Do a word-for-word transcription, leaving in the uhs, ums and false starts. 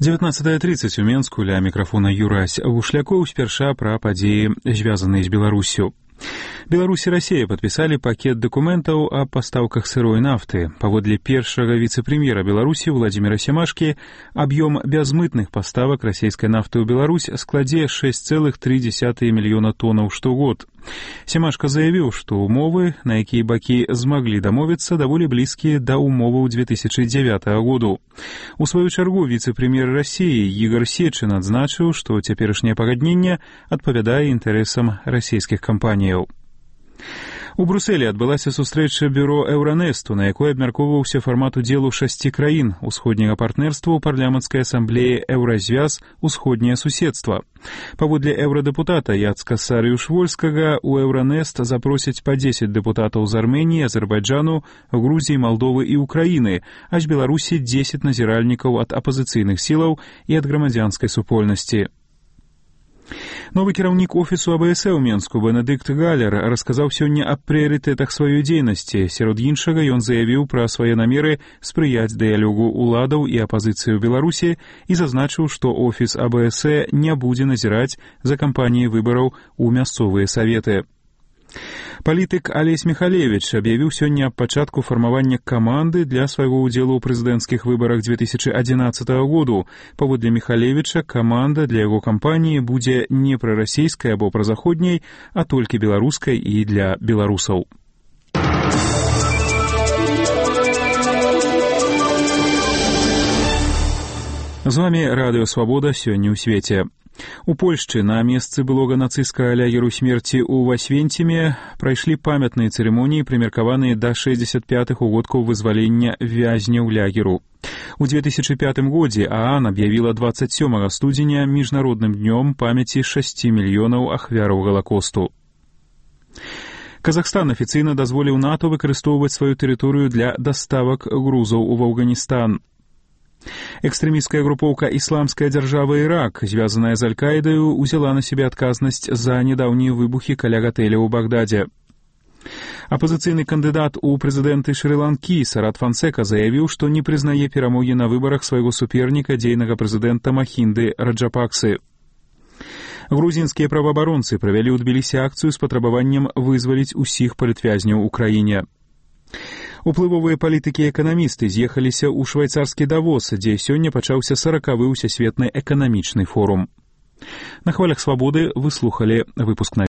дзевятнаццатая тридцать у Менску, ля мікрафона Юрась Вушлякоў спярша пра падзеі, звязаныя з Беларусью. Беларусь и Россия подписали пакет документов о поставках сырой нафты. Паводле першага вице-премьера Беларуси Владимира Семашки, объем безмытных поставок российской нафты в Беларусь складе шесть целых три десятых миллиона тонн штогод. Семашка заявил, что умовы, на якія бакі змаглі дамовіцца, даволі блізкія да умоваў две тысячи девятого году. У сваю чаргу віцэ-прэм'ер России Игорь Сечин адзначыў, што цяперашняе пагадненне адпавядае інтарэсам расійскіх кампаніяў. У Брюсселі адбылася сустрэча бюро Еўранесту, на якой абмяркоўваўся фармат удзелу шасці краін усходняга партнерства ў парламенцкай асамблеі Еўразвяз «Усходняе суседства». Паводле еўрадэпутата Яцка Сарыюш-Вольскага, у Еўранест запросяць па дзесяць дэпутатаў з Арменіі, Азербайджану, Грузіі, Малдовы і Украіны, а з Беларусі дзесяць назіральнікаў ад апазіцыйных сілаў і ад грамадзянскай супольнасці. Новы кіраўнік офісу А Б С ў Менску Бенедыкт Галер расказаў сёння аб прыярытэтах сваёй дзейнасці. Сярод іншага ён заявіў пра свае намеры спрыяць дыялогу ўладаў і апазіцыі ў Беларусі і зазначыў, што офіс А Б С не будзе назіраць за кампаніяй выбараў у мясцовыя саветы. Палітык Алесь Михалевич аб'явіў сёння аб пачатку фармавання каманды для свайго ўдзелу ў прэзідэнцкіх выбарах две тысячи одиннадцатого году. Паводле Михалевича, каманда для яго кампаніі будзе не прарасійскай або празаходняй, а толькі беларускай і для беларусаў. З вами Радыё Свабода сёння ў свеце. У Польшчы на месцы былога нацысцкага лагеру смерці ў Асвенціме прайшлі памятныя цырымоніі, прымеркаваныя да шэсцьдзесят пятых угодкаў вызвалення вязняў лагеру. У две тысячи пятым годзе А А Н аб'явіла двадцать сёмага студзеня міжнародным днём памяці шасці мільёнаў ахвяраў Галакосту. Казахстан афіцыйна дазволіў НАТО выкарыстоўваць сваю тэрыторыю для даставак грузаў у Афганістан. Экстрэмісцкая групоўка «Ісламская дзяржава Ірак», звязаная з Аль-Каідаю, узяла на сябе адказнасць за нядаўнія выбухі каля гатэля ў Багдадзе. Апазіцыйны кандыдат у прэзідэнты Шры-Ланкі Сарат Фансека заявіў, што не прызнае перамогі на выбарах свайго суперніка, дзейнага прэзідэнта Махінды Раджапаксы. Грузінскія праваабаронцы правялі ў Тбілісі акцыю з патрабаваннем вызваліць усіх палітвязняў у краіне. Уплывовыя палітыкі і эканамісты з'ехаліся ў швайцарскі Давос, дзе сёння пачаўся саракавы ўсесветны эканамічны форум. На хвалях свабоды вы слухалі выпуск на